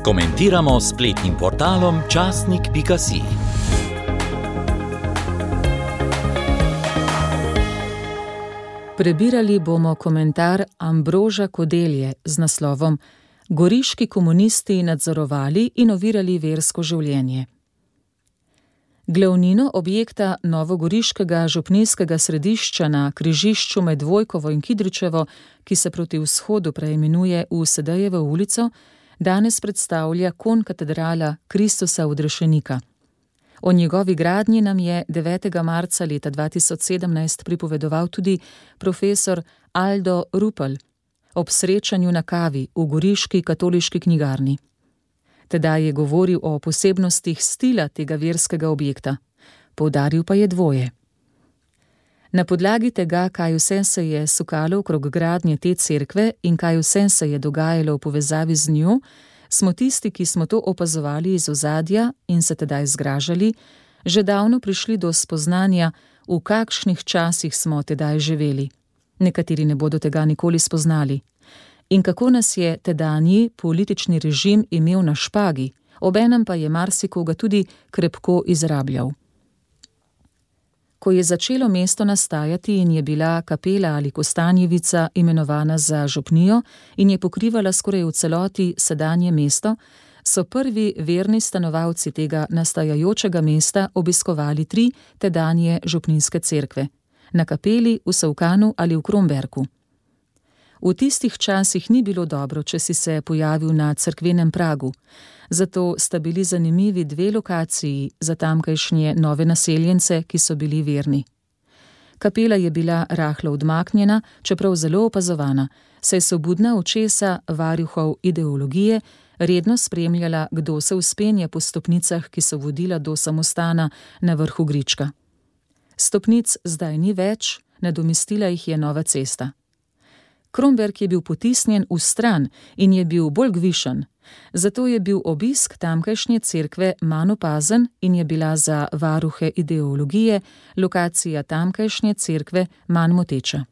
Komentiramo s spletnim portalom časnik.si. Prebirali bomo komentar Ambroža Kodelje z naslovom Goriški komunisti nadzorovali in ovirali versko življenje. Glavnino objekta novogoriškega župnijskega središča na križišču med Vojkovo in Kidričevo, ki se proti vzhodu preimenuje v Sedejevo ulico, danes predstavlja konkatedrala Kristusa Odrešenika. O njegovi gradnji nam je 9. marca leta 2017 pripovedoval tudi profesor Aldo Rupel ob srečanju na kavi v Goriški katoliški knjigarni. Tedaj je govoril o posebnostih stila tega verskega objekta. Poudaril pa je dvoje. Na podlagi tega, kaj vse se je sukalo okrog gradnje te cerkve in kaj vse se je dogajalo v povezavi z njo, smo tisti, ki smo to opazovali iz ozadja in se tedaj zgražali, že davno prišli do spoznanja, v kakšnih časih smo tedaj živeli. Nekateri ne bodo tega nikoli spoznali. In kako nas je tedanji politični režim imel na špagi, obenem pa je marsikoga tudi krepko izrabljal. Ko je začelo mesto nastajati in je bila kapela ali Kostanjevica imenovana za župnijo in je pokrivala skoraj v celoti sedanje mesto, so prvi verni stanovalci tega nastajajočega mesta obiskovali 3 tedanje župnijske cerkve, na kapeli, v Savkanu ali v Kromberku. V tistih časih ni bilo dobro, če si se pojavil na cerkvenem pragu, zato sta bili zanimivi 2 lokaciji za tamkajšnje nove naseljence, ki so bili verni. Kapela je bila rahlo odmaknjena, čeprav zelo opazovana, saj so budna očesa varuhov ideologije redno spremljala, kdo se vzpenja po stopnicah, ki so vodila do samostana na vrhu Grička. Stopnic zdaj ni več, nadomestila jih je nova cesta. Kromberk je bil potisnjen v stran in je bil bolj gvišen, zato je bil obisk tamkajšnje cerkve manj opazen in je bila za varuhe ideologije lokacija tamkajšnje cerkve manj moteča.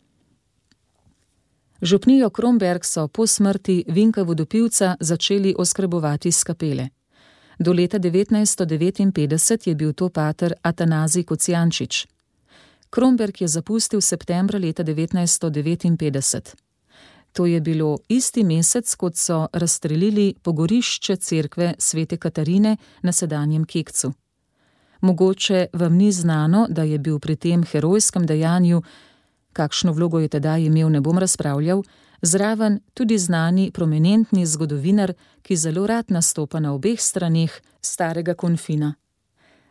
Župnijo Kromberk so po smrti Vinka Vodopivca začeli oskrbovati s kapele. Do leta 1959 je bil to pater Atanazij Kocijančič. Kromberk je zapustil septembra leta 1959. To je bilo isti mesec, kot so razstrelili pogorišče cerkve Svete Katarine na sedanjem Kekcu. Mogoče vam ni znano, da je bil pri tem herojskem dejanju, kakšno vlogo je tedaj imel, ne bom razpravljal, zraven tudi znani prominentni zgodovinar, ki zelo rad nastopa na obeh straneh starega konfina.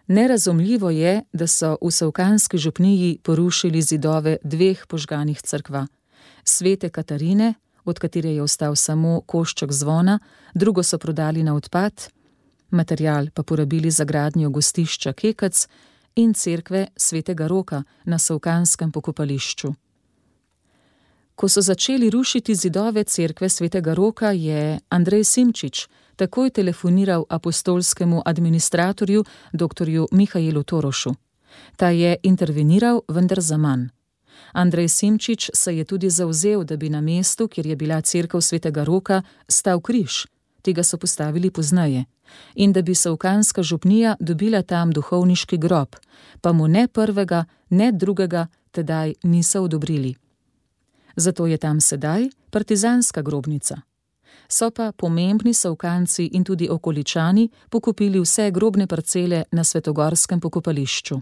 Nerazumljivo je, da so v savkanski župniji porušili zidove 2 požganih cerkva. Svete Katarine, od katere je ostal samo košček zvona, drugo so prodali na odpad, material pa porabili za gradnjo gostišča Kekec in cerkve Svetega Roka na savkanskem pokopališču. Ko so začeli rušiti zidove cerkve Svetega Roka, je Andrej Simčič takoj telefoniral apostolskemu administratorju dr. Mihajlu Torošu. Ta je interveniral, vendar zaman. Andrej Simčič se je tudi zavzel, da bi na mestu, kjer je bila cerkev Svetega Roka, stal križ, tega so postavili pozneje, in da bi savkanska župnija dobila tam duhovniški grob, pa mu ne prvega, ne drugega tedaj niso odobrili. Zato je tam sedaj partizanska grobnica. So pa pomembni savkanci in tudi okoličani pokupili vse grobne parcele na svetogorskem pokopališču.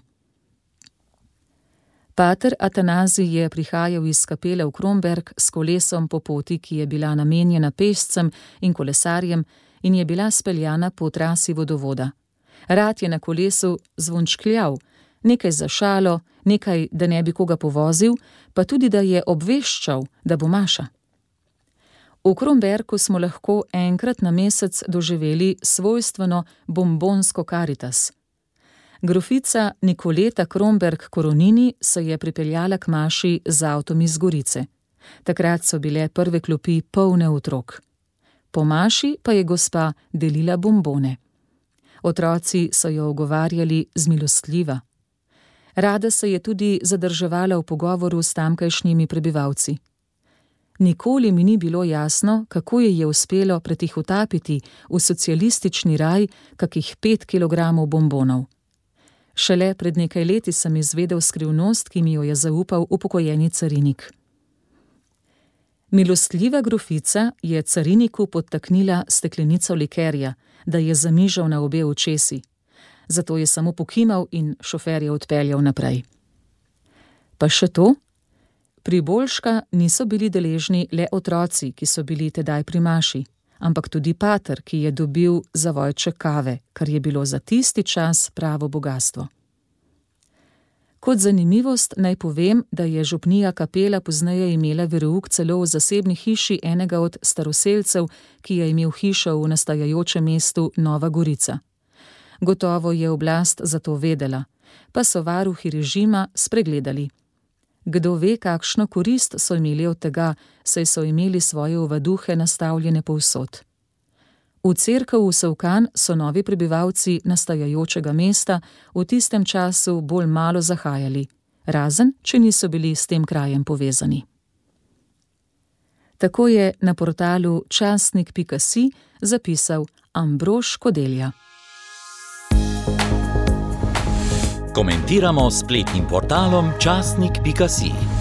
Pater Atanazij je prihajal iz kapele v Kromberk s kolesom po poti, ki je bila namenjena pešcem in kolesarjem in je bila speljana po trasi vodovoda. Rad je na kolesu zvončkljal, nekaj za šalo, nekaj, da ne bi koga povozil, pa tudi, da je obveščal, da bo maša. V Kromberku smo lahko enkrat na mesec doživeli svojstveno bombonsko karitas. Grofica Nikoleta Kromberk-Koronini se je pripeljala k maši z avtom iz Gorice. Takrat so bile prve klopi polne otrok. Po maši pa je gospa delila bombone. Otroci so jo ogovarjali zmilostljiva. Rada se je tudi zadrževala v pogovoru s tamkajšnjimi prebivalci. Nikoli mi ni bilo jasno, kako je uspelo pretihotapiti v socialistični raj kakih 5 kilogramov bombonov. Šele pred nekaj leti sem izvedel skrivnost, ki mi jo je zaupal upokojeni carinik. Milostljiva grofica je cariniku podtaknila steklenico likerja, da je zamižal na obe očesi. Zato je samo pokimal in šoferja odpeljal naprej. Pa še to? Priboljška niso bili deležni le otroci, ki so bili tedaj pri maši, ampak tudi pater, ki je dobil zavojček kave, kar je bilo za tisti čas pravo bogastvo. Kot zanimivost naj povem, da je župnija Kapela pozneje imela verouk celo v zasebni hiši enega od staroselcev, ki je imel hišo v nastajajočem mestu Nova Gorica. Gotovo je oblast za to vedela, pa so varuhi režima spregledali. Kdo ve, kakšno korist so imeli od tega, saj so imeli svoje ovaduhe nastavljene povsod. V cerkev v Savkan so novi prebivalci nastajajočega mesta v tistem času bolj malo zahajali, razen če niso bili s tem krajem povezani. Tako je na portalu časnik.si zapisal Ambrož Kodelja. Komentiramo s spletnim portalom časnik.si.